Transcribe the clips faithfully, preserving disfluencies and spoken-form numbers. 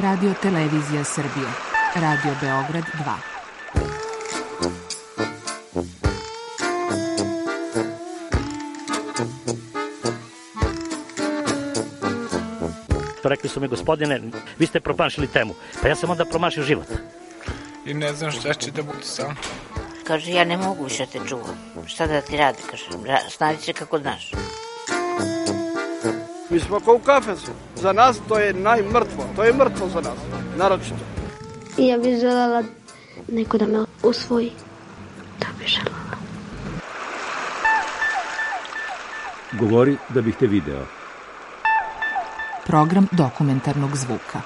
Radio Televizija Srbije. Radio Beograd dva. Rekli su mi, gospodine, vi ste promašili temu. Pa ja sam onda promašio život. I ne znam šta će da bude sam. Kaže, ja ne mogu više te čuvam. Šta da ti radi, kaže, snađi se kako znaš. Mi smo kao u kafesu. Za nas to je najmrtvo. To je mrtvo za nas, naročito. I ja bih želela neko da me usvoji. To bih želela. Govori da bih te video. Program dokumentarnog zvuka.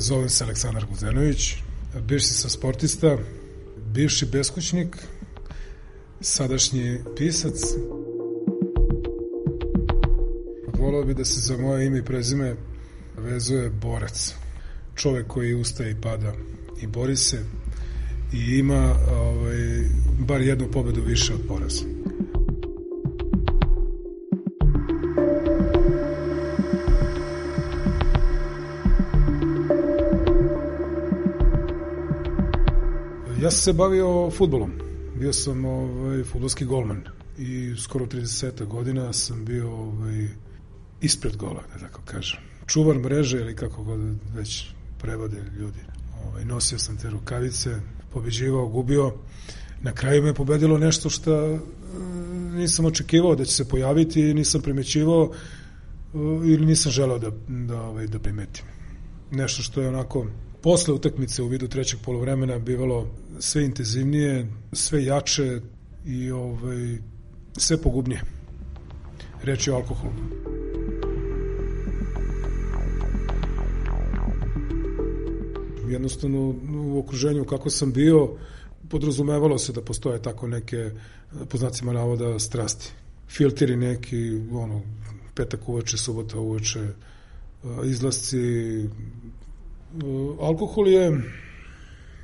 Zovem se Aleksandar Guzenović, bivši sam sportista, bivši beskućnik, sadašnji pisac. Voleo bi da se za moje ime i prezime vezuje borac. Čovek koji ustaje i pada i bori se i ima ovaj, bar jednu pobedu više od poraza. Ja sam se bavio fudbalom. Bio sam ovaj, fudbalski golman i skoro trideset godina sam bio ovaj, ispred gola, da tako kažem. Čuvar mreže ili kako god već prevode ljudi. Ovaj, nosio sam te rukavice, pobeđivao, gubio. Na kraju me pobedilo nešto što e, nisam očekivao da će se pojaviti i nisam primećivao e, ili nisam želeo da, da, ovaj, da primetim. Nešto što je onako posle utakmice u vidu trećeg poluvremena bivalo sve intenzivnije, sve jače i ovaj, sve pogubnije. Reč je o alkoholu. Jednostavno u okruženju kako sam bio podrazumevalo se da postoje tako neke, po znacima navoda, strasti. Filteri neki, ono, petak uveče, subota uveče, izlasci. Alkohol je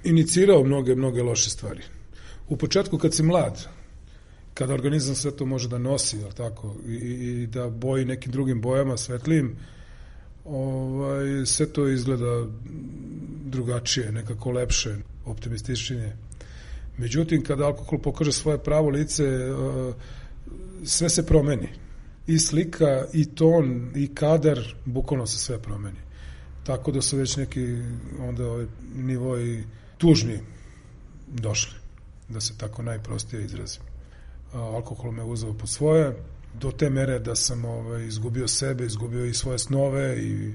inicirao mnoge, mnoge loše stvari. U početku kad si mlad, kada organizam sve to može da nosi, jel tako, i, i da boji nekim drugim bojama, svetlijim, ovaj, sve to izgleda drugačije, nekako lepše, optimističnije. Međutim, kada alkohol pokaže svoje pravo lice, sve se promeni. I slika, i ton, i kadar, bukvalno se sve promeni. Tako da su već neki onda ovaj nivoi tužni došli, da se tako najprostije izrazim. Alkohol me uzeo po svoje, do te mere da sam ovaj, izgubio sebe, izgubio i svoje snove i,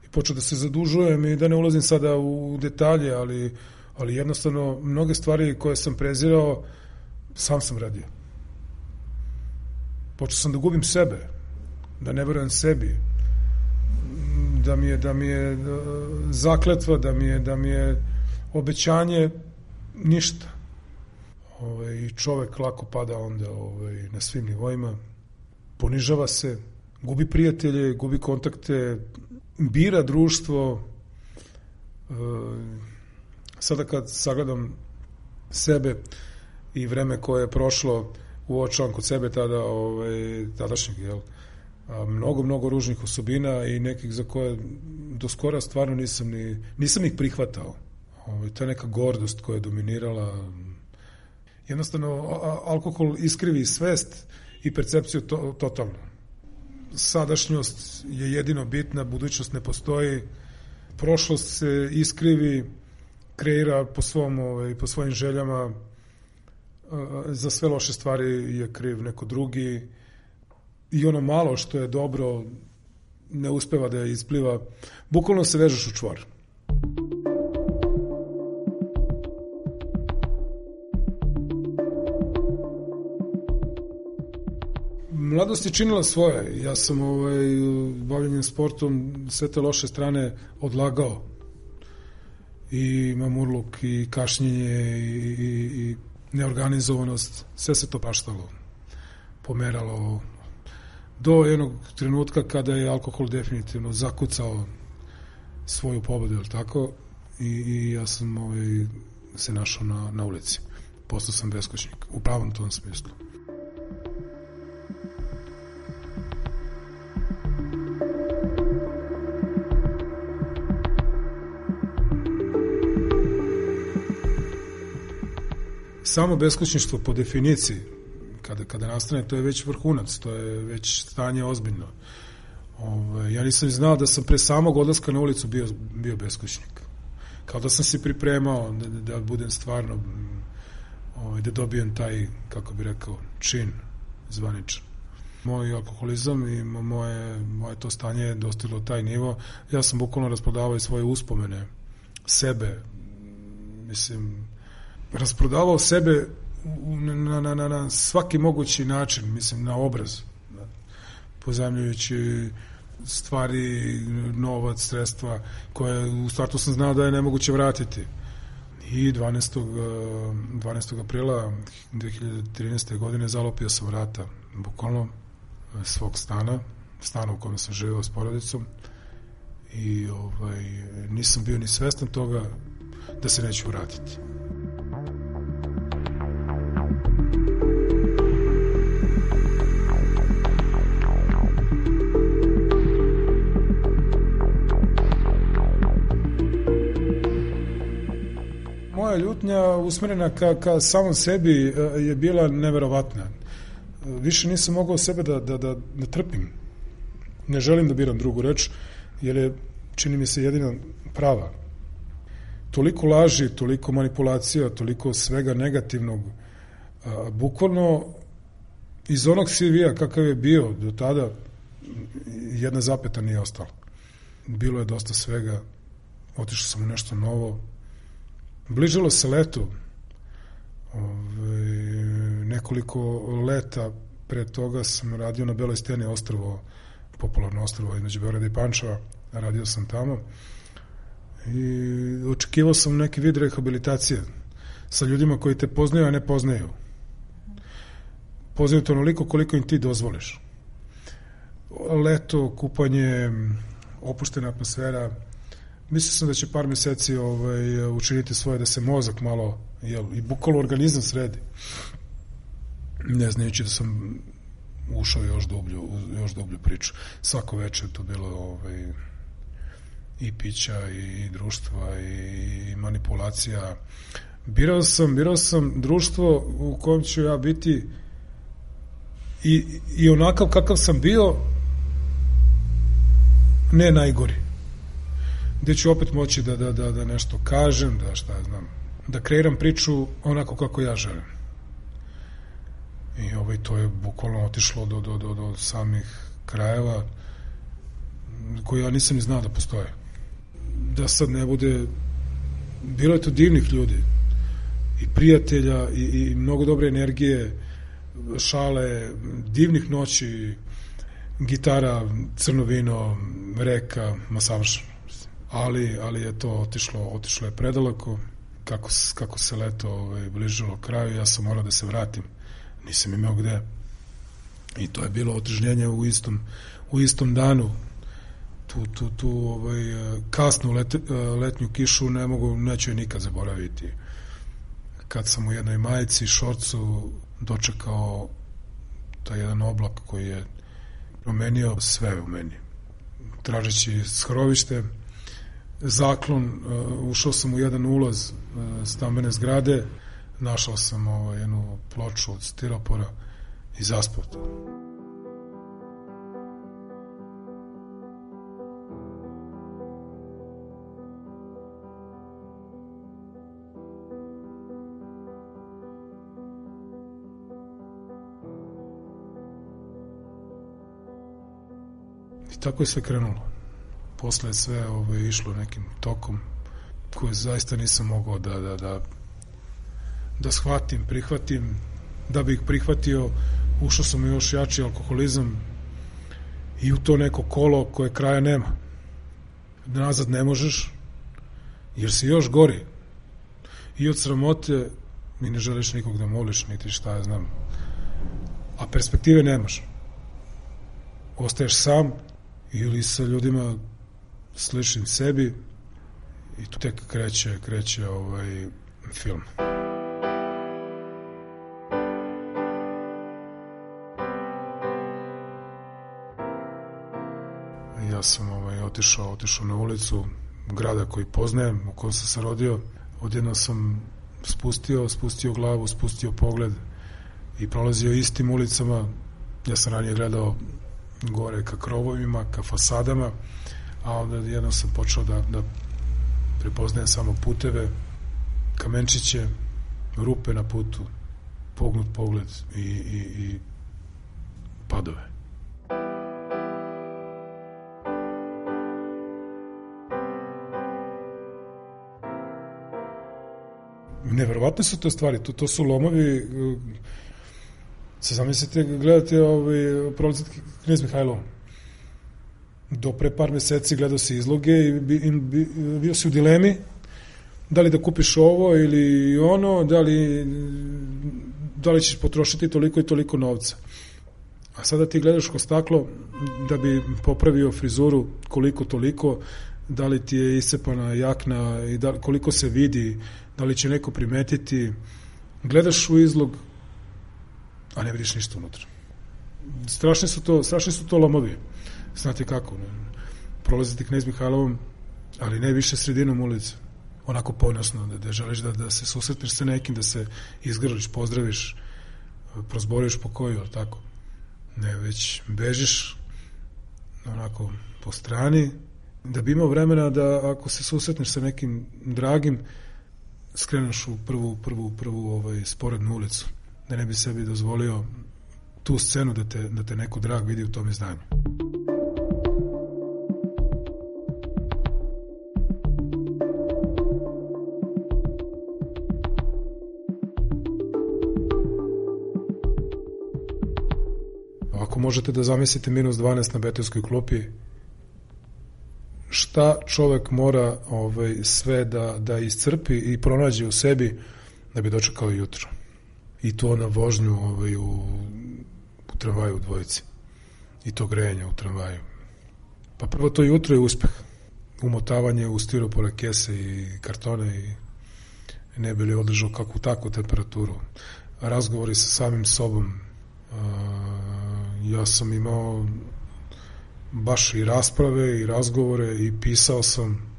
i počeo da se zadužujem i da ne ulazim sada u detalje, ali, ali jednostavno mnoge stvari koje sam prezirao, sam sam radio. Počeo sam da gubim sebe, da ne verujem sebi, da mi je, da mi je zakletva, da mi je, da mi je obećanje ništa. Ove, I čovek lako pada onda ove, na svim nivoima, ponižava se, gubi prijatelje, gubi kontakte, bira društvo. E, sada kad sagledam sebe i vreme koje je prošlo, uočavam kod sebe tada, ove, tadašnjeg, jel, a, mnogo, mnogo ružnih osobina i nekih za koje do skora stvarno nisam ni, nisam ih prihvatao. Ove, to je neka gordost koja je dominirala. Jednostavno, a, alkohol iskrivi svest i percepciju to, totalno. Sadašnjost je jedino bitna, budućnost ne postoji, prošlost se iskrivi, kreira po svom, ove, po svojim željama, a, za sve loše stvari je kriv neko drugi. I ono malo što je dobro ne uspeva da je ispliva, bukvalno se vežeš u čvor. Mladost je činila svoje. Ja sam ovaj, bavljenjem sportom sve te loše strane odlagao. I mamurluk, i kašnjenje, i, i, i neorganizovanost. Sve se to paštalo, pomeralo do jednog trenutka kada je alkohol definitivno zakucao svoju pobedu, ili tako, i, i ja sam ovaj, se našao na, na ulici. Postao sam beskućnik, u pravom tom smislu. Samo beskućništvo po definiciji, kada, kada nastane, to je već vrhunac, to je već stanje ozbiljno. Ove, ja nisam znao da sam pre samog odlaska na ulicu bio, bio beskućnik. Kao da sam se pripremao da, da budem stvarno, ove, da dobijem taj, kako bi rekao, čin zvaničan. Moj alkoholizam i moje, moje to stanje je dostiglo taj nivo. Ja sam bukvalno rasprodavao i svoje uspomene, sebe, mislim, rasprodavao sebe na, na, na, na svaki mogući način, mislim, na obraz, pozajmljujući stvari, novac, sredstva, koje u startu sam znao da je nemoguće vratiti. I dvanaestog aprila dve hiljade trinaeste. godine zalopio sam vrata, bukvalno, svog stana, stana u kojem sam živeo s porodicom, i ovaj, nisam bio ni svestan toga da se neću vratiti. Moja ljutnja usmerena ka, ka samom sebi je bila neverovatna. Više nisam mogao sebe da, da, da, da trpim. Ne želim da biram drugu reč, jer je, čini mi se, jedina prava. Toliko laži, toliko manipulacija, toliko svega negativnog. A, bukvalno iz onog C V-a kakav je bio do tada, jedna zapeta nije ostala. Bilo je dosta svega, otišao sam u nešto novo. Bližilo se leto, ove, nekoliko leta pre toga sam radio na Beloj steni, ostrvo, popularno ostrvo između Beograda i Pančeva, radio sam tamo i očekivao sam neki vid rehabilitacije sa ljudima koji te poznaju, a ne poznaju. Poznaju to onoliko koliko im ti dozvoliš. Leto, kupanje, opuštena atmosfera. Mislio sam da će par meseci ovaj, učiniti svoje da se mozak malo, jel, i bukvalno organizam sredi. Ne znajući da sam ušao još dublju, još dublju priču. Svako večer to bilo ovaj, i pića, i, i društva, i, i manipulacija. Birao sam, birao sam društvo u kojem ću ja biti i, i onakav kakav sam bio, ne najgori. Gde ću opet moći da, da, da, da nešto kažem, da šta ja znam, da kreiram priču onako kako ja želim. I ovaj, to je bukvalno otišlo do, do, do, do samih krajeva koje ja nisam ni znao da postoje. Da sad ne bude, bilo je to divnih ljudi i prijatelja i, i mnogo dobre energije, šale, divnih noći, gitara, crno vino, reka, ma savršeno. Ali, ali je to otišlo, otišlo je predaleko. Kako, kako se leto ovaj, bližilo kraju, ja sam morao da se vratim. Nisam imao gde. I to je bilo otežnjenje u istom, u istom danu. Tu, tu, tu ovaj, kasnu let, letnju kišu ne mogu, neću je nikad zaboraviti. Kad sam u jednoj majici, šorcu dočekao taj jedan oblak koji je promenio sve u meni. Tražeći skrovište, zaklon, uh, ušao sam u jedan ulaz uh, stambene zgrade, našao sam uh, jednu ploču od stiropora i zaspao to. I tako je sve krenulo. Posle je sve ove, išlo nekim tokom koje zaista nisam mogao da, da, da, da shvatim, prihvatim. Da bih prihvatio, ušao sam u još jači alkoholizam i u to neko kolo koje kraja nema. Nazad ne možeš, jer si još gori. I od sramote mi ne želiš nikog da moliš, niti šta ja znam. A perspektive nemaš. Ostaješ sam ili sa ljudima sličnim sebi i tu tek kreće, kreće ovaj film. Ja sam ovaj, otišao, otišao na ulicu grada koji poznajem, u kojem sam se rodio. Odjedno sam spustio, spustio glavu, spustio pogled i prolazio istim ulicama. Ja sam ranije gledao gore ka krovovima, ka fasadama, a onda jednom sam počeo da, da prepoznajem samo puteve, kamenčiće, rupe na putu, pognut pogled i, i, i padove. Neverovatne su to stvari, to, to su lomovi. Se zamislite, gledate ovaj, prolazit Knez Mihajlovom. Do pre par meseci gledao si izloge i bi, bi, bio si u dilemi da li da kupiš ovo ili ono, da li, da li ćeš potrošiti toliko i toliko novca. A sada ti gledaš kroz staklo da bi popravio frizuru koliko toliko, da li ti je iscepana jakna i da, koliko se vidi, da li će neko primetiti. Gledaš u izlog, a ne vidiš ništa unutra. Strašni su to, strašni su to lomovi. Znate kako, ne? Prolaziti Knez Mihajlovom, ali ne više sredinom ulice. Onako ponosno, da, da želiš da, da se susretneš sa nekim, da se izgrliš, pozdraviš, prozboriš po koju, ali tako. Ne, već bežiš onako po strani, da bi imao vremena da ako se susretneš sa nekim dragim, skreneš u prvu, prvu, prvu ovaj, sporednu ulicu, da ne bi sebi dozvolio tu scenu da te, da te neko drag vidi u tom izdanju. Ako možete da zamislite minus dvanaest na betonskoj klupi, šta čovek mora ovaj, sve da, da iscrpi i pronađe u sebi da bi dočekao jutro. I to na vožnju ovaj, u, u tramvaju u dvojici. I to grejanje u tramvaju. Pa prvo to jutro je uspeh. Umotavanje u stiropore kese i kartone i ne bi li održao kakvu takvu temperaturu. Razgovori sa samim sobom. Ja sam imao baš i rasprave i razgovore i pisao sam,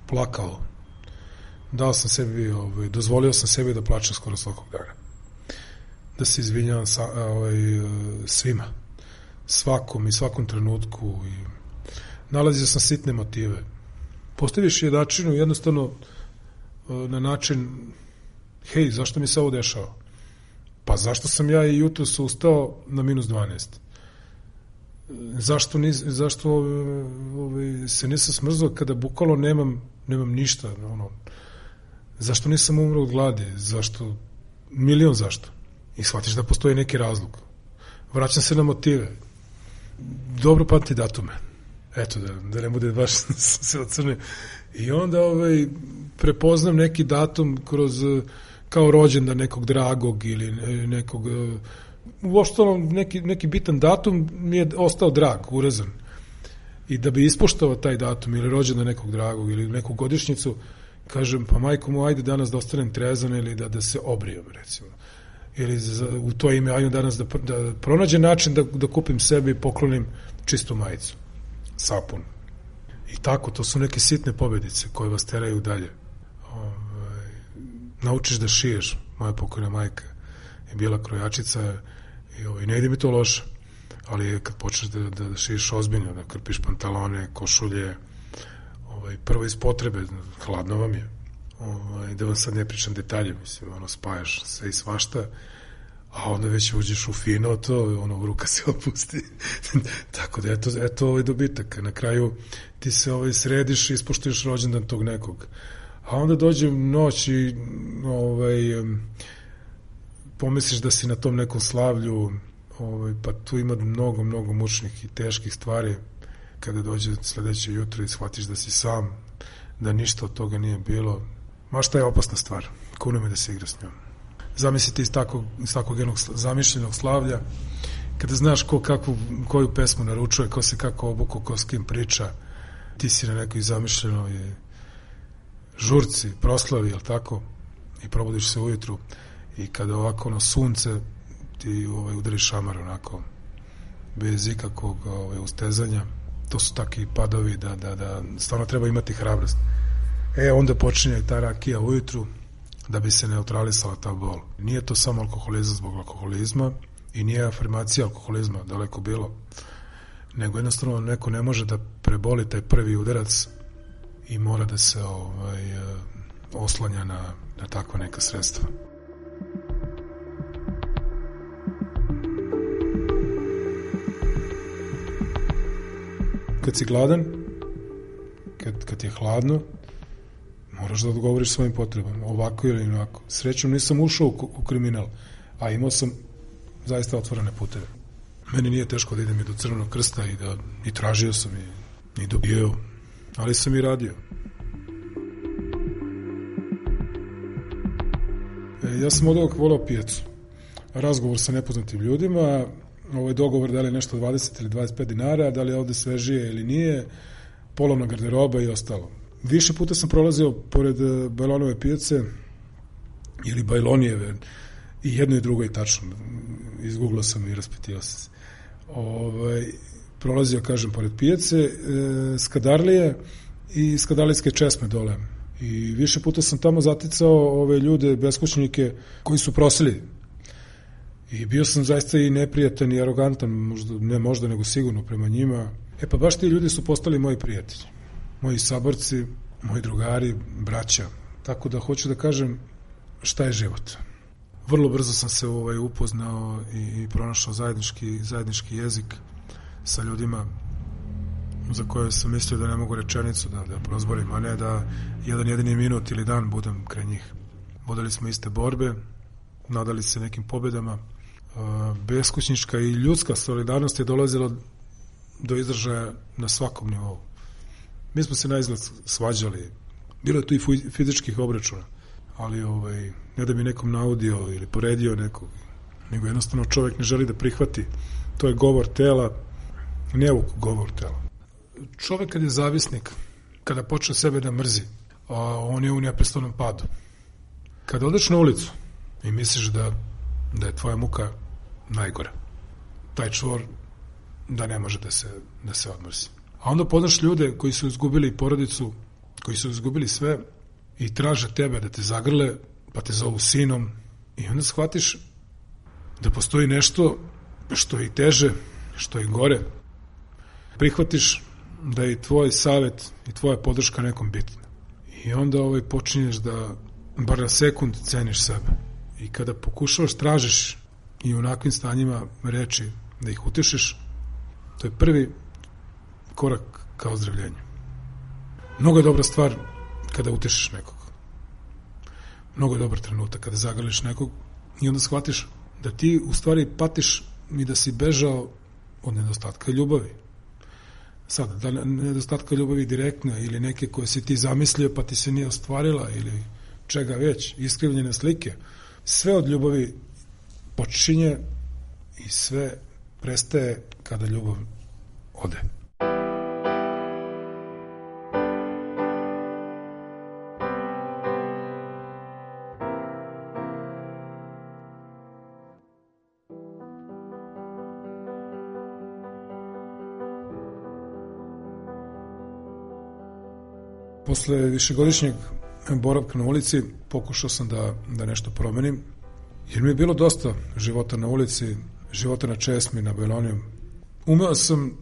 plakao. Dao sam sebi, ovaj, dozvolio sam sebi da plačem skoro svakog dana. Da se izvinjavam sa, ovaj, svima. Svakom i svakom trenutku. I nalazio sam sitne motive. Postaviš jedačinu jednostavno na način, hej, zašto mi se ovo dešava? Pa zašto sam ja i jutro se ustao na minus dvanaest? Zašto, nis, zašto ovaj, se nisam smrzao kada bukvalno nemam, nemam ništa? Ono, zašto nisam umro od gladi? Zašto? Milion zašto? I shvatiš da postoji neki razlog. Vraćam se na motive. Dobro pamti datume. Eto, da, da ne bude baš se ocrne. I onda ovaj, prepoznam neki datum kroz, kao rođendan nekog dragog ili nekog... Uopšte neki, neki bitan datum mi je ostao drag, urezan. I da bi ispoštao taj datum ili rođendan nekog dragog ili neku godišnjicu, kažem, pa majko mu, ajde danas da ostanem trezan ili da, da se obrijem, recimo. Ili za, u to ime, ajde danas da, da pronađem način da, da kupim sebi i poklonim čistu majicu, sapun. I tako, to su neke sitne pobedice koje vas teraju dalje. Ove, naučiš da šiješ, moja pokojna majka je bila krojačica i ovaj, ne ide mi to loše, ali kad počneš da, da, da šiješ ozbiljno, da krpiš pantalone, košulje, ovaj, prvo iz potrebe, hladno vam je, ovaj, da vam sad ne pričam detalje, mislim, ono, spajaš sve i svašta, a onda već uđeš u fino, to, ono, ruka se opusti. Tako da, eto, eto ovaj dobitak. Na kraju ti se ovaj, središ i ispoštuješ rođendan tog nekog. A onda dođe noć i ovaj, pomisliš da si na tom nekom slavlju, ovaj, pa tu ima mnogo, mnogo mučnih i teških stvari. Kada dođe sledeće jutro i shvatiš da si sam, da ništa od toga nije bilo. Ma šta je opasna stvar, kuno me da se igra s njom. Zamislite iz takvog, iz takvog jednog zamišljenog slavlja, kada znaš ko kakvu, koju pesmu naručuje, ko se kako obuko, ko s kim priča, ti si na nekoj zamišljenoj žurci, proslavi, jel tako, i probudiš se ujutru i kada ovako ono sunce ti ovaj, udari šamar onako bez ikakvog ovaj, ustezanja, to su takvi padovi da, da, da stvarno treba imati hrabrost. E, onda počinje ta rakija ujutru da bi se neutralisala ta bol. Nije to samo alkoholizam zbog alkoholizma i nije afirmacija alkoholizma, daleko bilo, nego jednostavno neko ne može da preboli taj prvi udarac i mora da se ovaj, oslanja na, na takva neka sredstva. Kad si gladan, kad, kad je hladno, moraš da odgovoriš svojim potrebama, ovako ili onako. Srećom nisam ušao u, u kriminal, a imao sam zaista otvorene puteve. Meni nije teško da idem i do Crvenog krsta i da i tražio sam i, i dobio, ali sam i radio. E, ja sam od ovog volao pijacu. Razgovor sa nepoznatim ljudima, ovaj dogovor da li je nešto dvadeset ili dvadeset pet dinara, da li je ovde svežije ili nije, polovna garderoba i ostalo. Više puta sam prolazio pored Bajlonove pijace ili Bajlonijeve i jedno i drugo je tačno. Izgooglao sam i raspitio se. Ovaj, prolazio, kažem, pored pijace, e, Skadarlije i Skadarlijske česme dole. I više puta sam tamo zaticao ove ljude, beskućnike, koji su prosili. I bio sam zaista i neprijatan i arogantan, možda, ne možda, nego sigurno prema njima. E pa baš ti ljudi su postali moji prijatelji. Moji saborci, moji drugari, braća. Tako da hoću da kažem šta je život. Vrlo brzo sam se ovaj, upoznao i, i pronašao zajednički, zajednički jezik sa ljudima za koje sam mislio da ne mogu rečenicu da, da prozborim, a ne da jedan jedini minut ili dan budem kraj njih. Vodili smo iste borbe, nadali se nekim pobedama. Beskućnička i ljudska solidarnost je dolazila do izražaja na svakom nivou. Mi smo se na izgled svađali, bilo je tu i fizičkih obračuna, ali ovaj, ne da mi nekom naudio ili poredio nekog, nego jednostavno čovjek ne želi da prihvati. To je govor tela, neuk govor tela. Čovjek kad je zavisnik, kada počne sebe da mrzi, a on je u neprestanom padu. Kada odeš na ulicu i misliš da, da je tvoja muka najgora, taj čvor da ne može da se, da se odmrzi. A onda poznaš ljude koji su izgubili porodicu, koji su izgubili sve i traže tebe da te zagrle, pa te zovu sinom i onda shvatiš da postoji nešto što je i teže, što je i gore. Prihvatiš da je i tvoj savjet i tvoja podrška nekom bitna. I onda ovaj počinješ da bar na sekund ceniš sebe. I kada pokušavaš, tražiš i u onakvim stanjima reči da ih utešiš, to je prvi korak ka ozdravljenju. Mnogo je dobra stvar kada utešiš nekog. Mnogo je dobar trenutak kada zagrliš nekog i onda shvatiš da ti u stvari patiš i da si bežao od nedostatka ljubavi. Sad, da nedostatka ljubavi direktna ili neke koje si ti zamislio pa ti se nije ostvarila ili čega već, iskrivljene slike, sve od ljubavi počinje i sve prestaje kada ljubav ode. Posle višegodišnjeg boravka na ulici pokušao sam da, da nešto promenim, jer mi je bilo dosta života na ulici, života na česmi, na Bajloniju. Umeo sam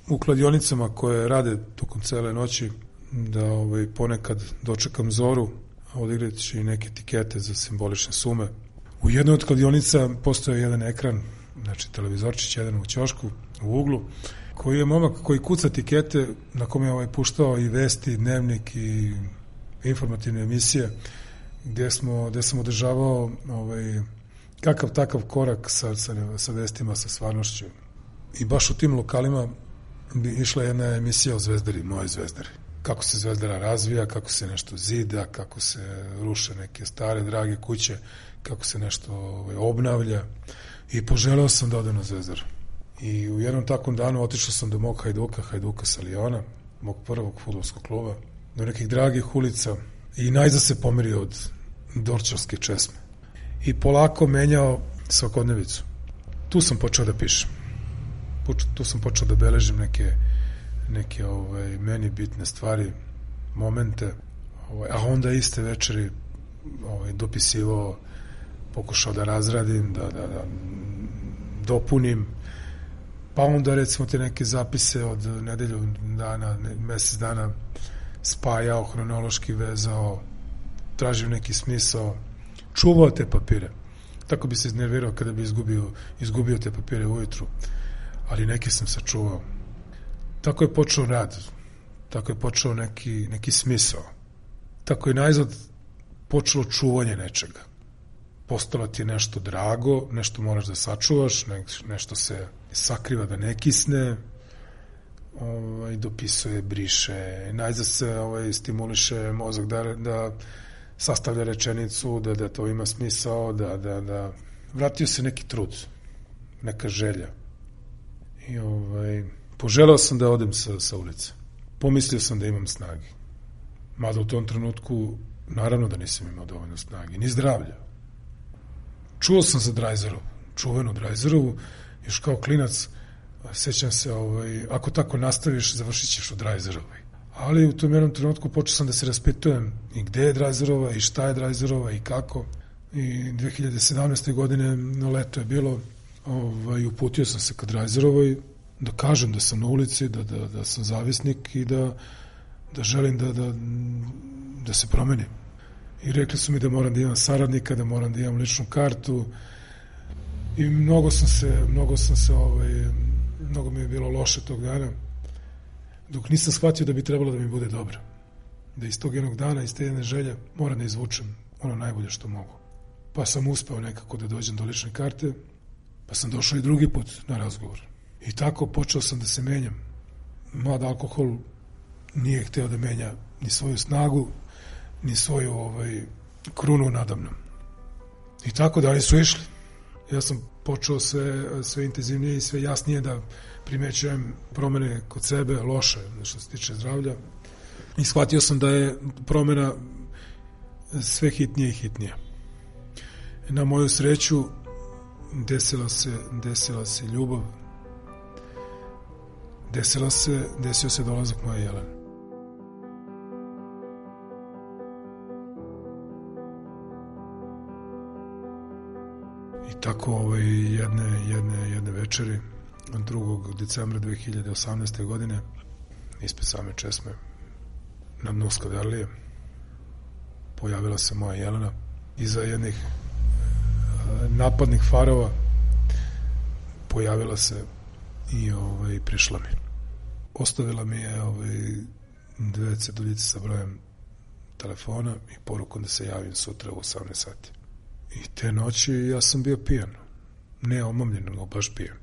u kladionicama koje rade tokom cele noći da ovaj, ponekad dočekam zoru, odigrajući neke etikete za simbolične sume. U jednoj od kladionica postoje jedan ekran, znači televizorčić, jedan u ćošku, u uglu, koji je momak koji kuca etikete, na kome je ovaj puštao i vesti, dnevnik i informativne emisije, gde, smo, gde sam održavao ovaj, kakav takav korak sa, sa, sa vestima, sa stvarnošću. I baš u tim lokalima bi išla jedna emisija o Zvezdari, moje Zvezdari. Kako se Zvezdara razvija, kako se nešto zida, kako se ruše neke stare, drage kuće, kako se nešto ovaj, obnavlja. I poželeo sam da odem na Zvezdaru. I u jednom takvom danu otišao sam do mog Hajduka, Hajduka sa Liona, mog prvog fudbalskog kluba, do nekih dragih ulica i najzad se pomerio od Dorćolske česme. I polako menjao svakodnevicu. Tu sam počeo da pišem. Tu sam počeo da beležim neke, neke ovaj, meni bitne stvari, momente, ovaj, a onda iste večeri ovaj, dopisivao, pokušao da razradim, da, da, da dopunim, pa onda recimo te neke zapise od nedelju dana, mesec dana spajao, hronološki vezao, tražio neki smisao, čuvao te papire. Tako bi se iznervirao kada bi izgubio, izgubio te papire ujutru, ali neke sam sačuvao. Tako je počeo rad, tako je počeo neki, neki smisao. Tako je najzad počelo čuvanje nečega. Postalo ti je nešto drago, nešto moraš da sačuvaš, ne, nešto se sakriva da ne kisne, ovaj, dopisuje, briše, najzad se ovaj, stimuliše mozak da, da sastavlja rečenicu, da, da to ima smisao, da, da, da vratio se neki trud, neka želja. I ovaj, poželeo sam da odem sa, sa ulice. Pomislio sam da imam snage. Mada u tom trenutku, naravno da nisam imao dovoljno snage, ni zdravlja. Čuo sam za Drajzerovu, čuvenu Drajzerovu, još kao klinac, sećam se, ovaj, ako tako nastaviš, završit ćeš u Drajzerovoj. Ali u tom jednom trenutku počeo sam da se raspitujem i gde je Drajzerova i šta je Drajzerova i kako. I dve hiljade sedamnaeste. godine na leto je bilo, ovaj, uputio sam se ka Drajzerovoj da kažem da sam na ulici, da, da, da sam zavisnik i da, da želim da, da, da se promenim. I rekli su mi da moram da imam saradnika, da moram da imam ličnu kartu i mnogo sam se, mnogo sam se, ovaj, mnogo mi je bilo loše tog dana, dok nisam shvatio da bi trebalo da mi bude dobro. Da iz tog jednog dana, iz te jedne želje, moram da izvučem ono najbolje što mogu. Pa sam uspeo nekako da dođem do lične karte, pa sam došao i drugi put na razgovor. I tako počeo sam da se menjam. Mlad alkohol nije hteo da menja ni svoju snagu, ni svoju ovaj, krunu nadamnom. I tako dalje su išli. Ja sam počeo sve, sve intenzivnije i sve jasnije da primećujem promene kod sebe, loše, što se tiče zdravlja. I shvatio sam da je promena sve hitnije i hitnije. Na moju sreću desila se, desila se ljubav, desila se, desio se dolazak moje Jelene. I tako ovaj, jedne, jedne, jedne večeri, drugog decembra dve hiljade osamnaeste. godine, ispred same česme, na dnu Skadarlije, pojavila se moja Jelena iza jednih napadnih farova, pojavila se i ovaj, prišla mi. Ostavila mi je ovaj, dve ceduljice sa brojem telefona i porukom da se javim sutra u osamnaest sati. I te noći ja sam bio pijan. Ne omamljen, nego baš pijan.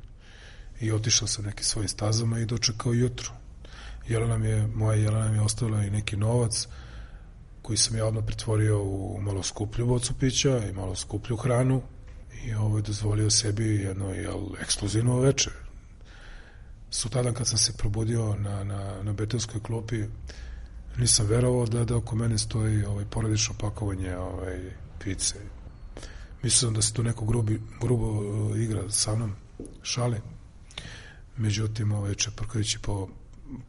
I otišao sam nekim svojim stazama i dočekao jutro. Jelena mi je, moja Jelena mi je ostavila i neki novac koji sam ja odmah pretvorio u malo skuplju bocu pića i malo skuplju hranu i ovaj, dozvolio sebi jedno jel, ekskluzivno večer. Sutradan kad sam se probudio na, na, na betonskoj klupi, nisam verovao da, da oko mene stoji ovaj, porodično pakovanje ovaj, pice. Mislim da se tu neko grubi, grubo uh, igra sa mnom, šali. Međutim, ovaj, čeprkajući po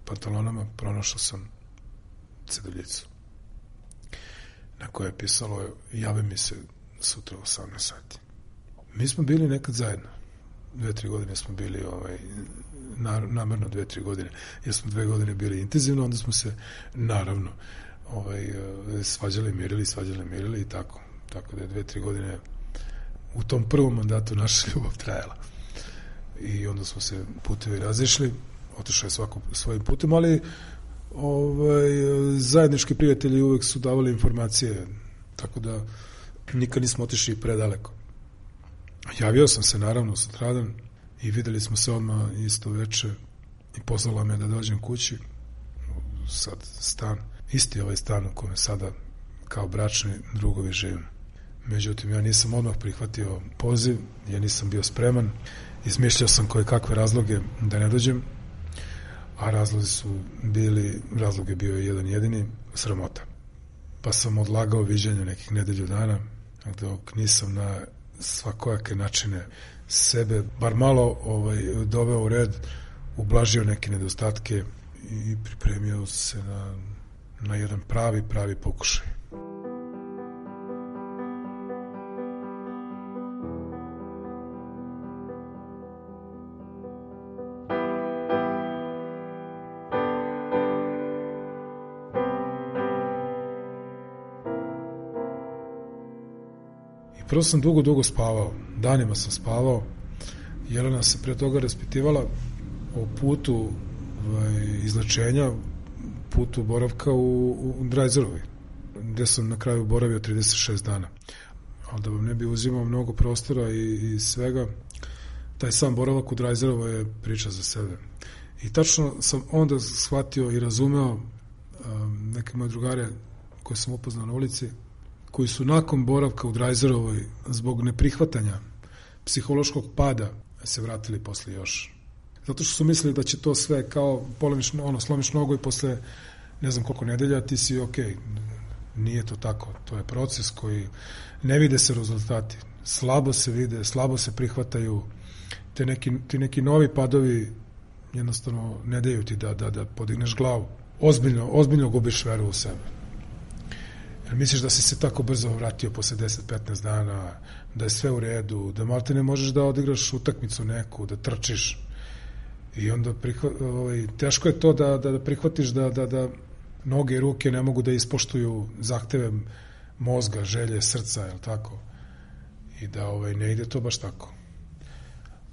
pantalonama, pronašao sam ceduljicu na kojoj je pisalo javi mi se sutra u osamnaest sati. Mi smo bili nekad zajedno. Dve, tri godine smo bili ovaj, namerno dve, tri godine. Jer smo dve godine bili intenzivno, onda smo se naravno ovaj, svađali, mirili, svađali, mirili i tako. Tako da je dve, tri godine u tom prvom mandatu naša ljubav trajala. I onda smo se putevi razišli, otišao je svako svojim putem, ali ovaj, zajednički prijatelji uvek su davali informacije, tako da nikad nismo otišli predaleko. Javio sam se naravno sutradan i videli smo se odmah isto veče i pozvala me da dođem kući, sad stan, isti ovaj stan u kome sada kao bračni drugovi živim. Međutim, ja nisam odmah prihvatio poziv, ja nisam bio spreman, izmišljao sam koje kakve razloge da ne dođem, a razlozi su bili, razlog je bio jedan jedini, sramota. Pa sam odlagao viđanje nekih nedelju dana, dok nisam na svakojake načine sebe, bar malo ovaj, doveo u red, ublažio neke nedostatke i pripremio se na, na jedan pravi, pravi pokušaj. Prvo sam dugo, dugo spavao. Danima sam spavao. Jelena se pre toga raspitivala o putu ovaj, izlečenja, putu boravka u, u Drajzerovi, gde sam na kraju boravio trideset šest dana. Ali da vam ne bi uzimao mnogo prostora i, i svega, taj sam boravak u Drajzerovoj je priča za sebe. I tačno sam onda shvatio i razumeo um, neke moje drugare koje sam upoznao na ulici, koji su nakon boravka u Drajzerovoj zbog neprihvatanja psihološkog pada se vratili posle još. Zato što su mislili da će to sve kao polomiš, ono, slomiš nogu i posle ne znam koliko nedelja ti si ok. Nije to tako. To je proces koji ne vide se rezultati. Slabo se vide, slabo se prihvataju. Te neki, ti neki novi padovi jednostavno ne daju ti da, da, da podigneš glavu. Ozbiljno, ozbiljno gubiš veru u sebe. Jer misliš da si se tako brzo vratio posle deset do petnaest dana, da je sve u redu, da malte ne možeš da odigraš utakmicu neku, da trčiš. I onda prihva, ovaj, teško je to da, da, da prihvatiš da, da, da noge i ruke ne mogu da ispoštuju zahteve mozga, želje, srca, je li tako? I da ovaj, ne ide to baš tako.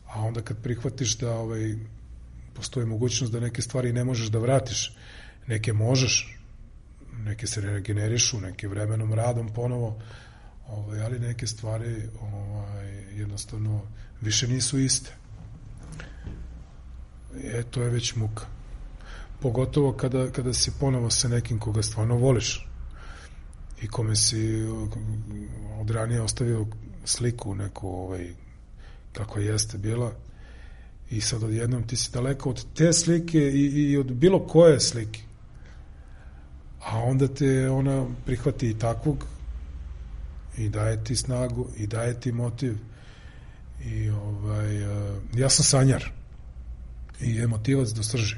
A onda kad prihvatiš da ovaj, postoji mogućnost da neke stvari ne možeš da vratiš, neke možeš, neke se regenerišu, neke vremenom radom ponovo, ovaj, ali neke stvari ovaj, jednostavno više nisu iste. E, to je već muka. Pogotovo kada, kada si ponovo sa nekim koga stvarno voliš i kome si od ranije ostavio sliku neku ovaj, kako jeste bila i sad odjednom ti si daleko od te slike i, i od bilo koje slike. A onda te ona prihvati i takvog i daje ti snagu i daje ti motiv i ovaj, ja sam sanjar i emotivac do srži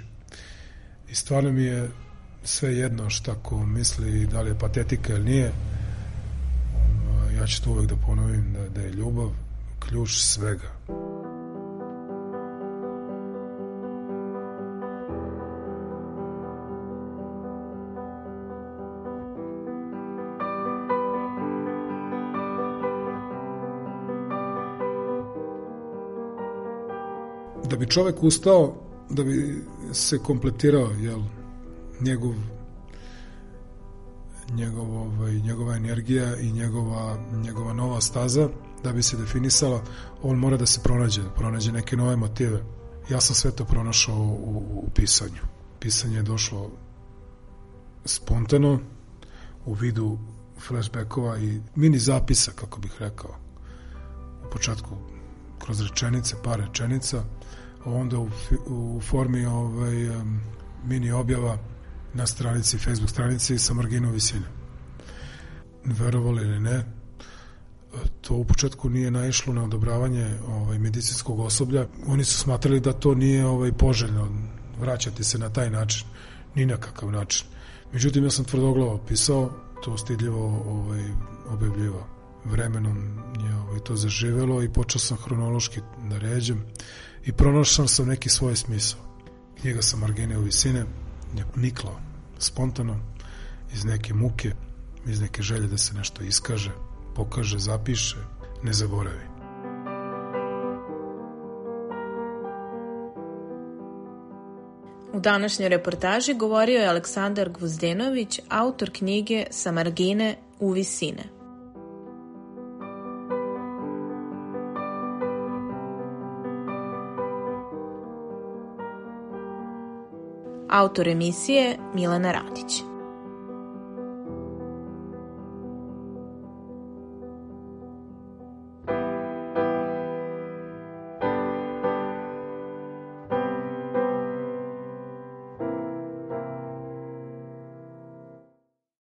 i stvarno mi je sve jedno šta ko misli da li je patetika ili nije. Ja ću to uvek da ponovim da, da je ljubav ključ svega. Da bi čovek ustao, da bi se kompletirao, jel, njegov, njegov, ovaj, njegova energija i njegova, njegova nova staza, da bi se definisala, on mora da se pronađe, da pronađe neke nove motive. Ja sam sve to pronašao u, u pisanju. Pisanje je došlo spontano, u vidu flashbackova i mini zapisa, kako bih rekao. U početku kroz rečenice, par rečenica, onda u, u formi ovaj, um, mini objava na stranici, Facebook stranici sa marginom visine. Verovali ili ne, to u početku nije naišlo na odobravanje ovaj, medicinskog osoblja. Oni su smatrali da to nije ovaj, poželjno vraćati se na taj način, ni na kakav način. Međutim, ja sam tvrdoglavo pisao, to stidljivo ovaj, objavljivao. Vremenom je ovaj, to zaživelo i počeo sam hronološki da ređem i pronašao sam neki svoj smisao. Knjiga sa margine u visine je nikla spontano iz neke muke, iz neke želje da se nešto iskaže, pokaže, zapiše, ne zaboravi. U današnjoj reportaži govorio je Aleksandar Gvozdenović, autor knjige Sa margine u visine. Autor emisije Milena Radić.